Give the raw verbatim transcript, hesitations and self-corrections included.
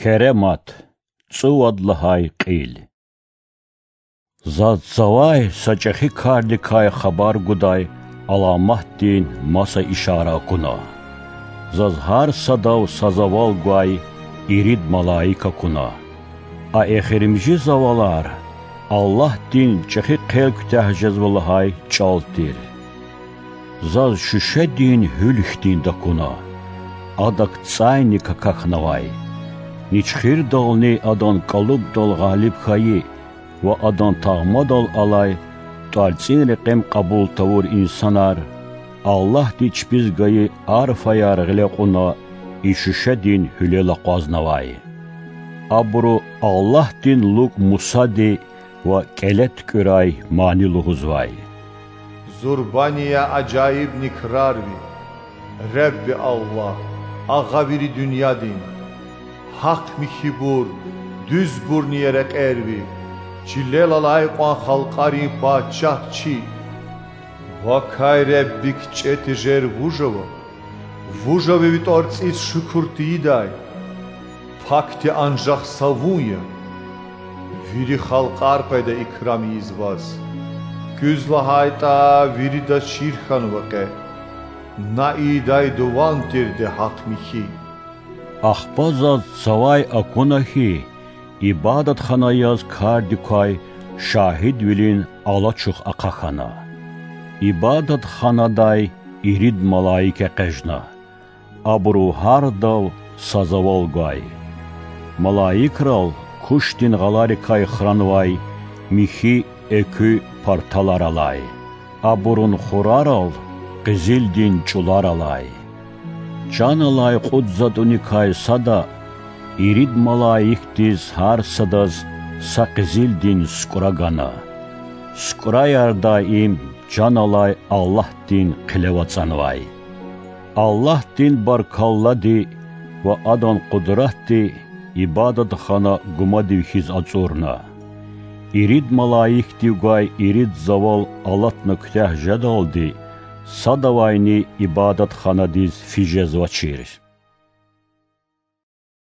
Керемат, цӀувад лагьай кьил. Заз цавай са чӀехи кардикай хабар гудай аламатдин маса ишара акуна. Заз гьар садав са завал гвай ирид малаик акуна. А эхиримжи завалар Аллагьдин чӀехи хъел куьтягь жезва лагьай чӀал тир. Заз шуьшедин гьуьл хьтинди акуна. Адак цӀайни какахьнавай. Ничхирдални адан кӀалубдал гъалиб хьайи ва адан тагъмадал алай тӀварцӀин рекьим кьабул тавур инсанар Аллагьди чпиз гайи арфаяр гъиле кьуна и шуьшедин гьуьлел акъвазнавай. Абуру Аллагьдин лукӀ Мусади ва кӀеле туькӀуьрай мани лугьузвай. Зурбани я ажаибни крар ви, Ребби Аллагь, агъа вири дуьньядин! Гьахъ-михьибур, дуьзбурни я рекьер ви, чилел алай кьван халкьарин пачагь чи! Вакай Ребби кичӀе тежер вуж ава? Вуж ава ви тӀварцӀиз шукур тийидай? Пакди анжах са вун я. Вири халкьар къведа икрам ийиз ваз. Куьз лагьайтӀа, виридаз чир хьанва къе. На ийидай дуван тирди гьахъ-михьи. Ахпа заз цавай акуна хьи, ибадатхана яз кардик квай шагьидвилин алачух ахъа хьана. Ибадатханадай ирид малаик экъечӀна. Абуру гьардав са завал гвай. Малаикрал кушдин гъаларикай хранвай михьи экуь парталар алай, абурун хурарал къизилдин чӀулар алай. Чан алай кьуд затӀуникай сада ирид малаикдиз гьар садаз са къизилдин сукӀра гана. СукӀраяр даим чан алай Аллагьдин хъилев ацӀанвай. Аллагьдин баркаллади ва Адан къудратди ибадатхана гумадив хьиз ацӀурна. Ирид малаикдив гвай ирид завал алатна куьтягь жедалди садавайни ибадатханадиз физ жезвачир.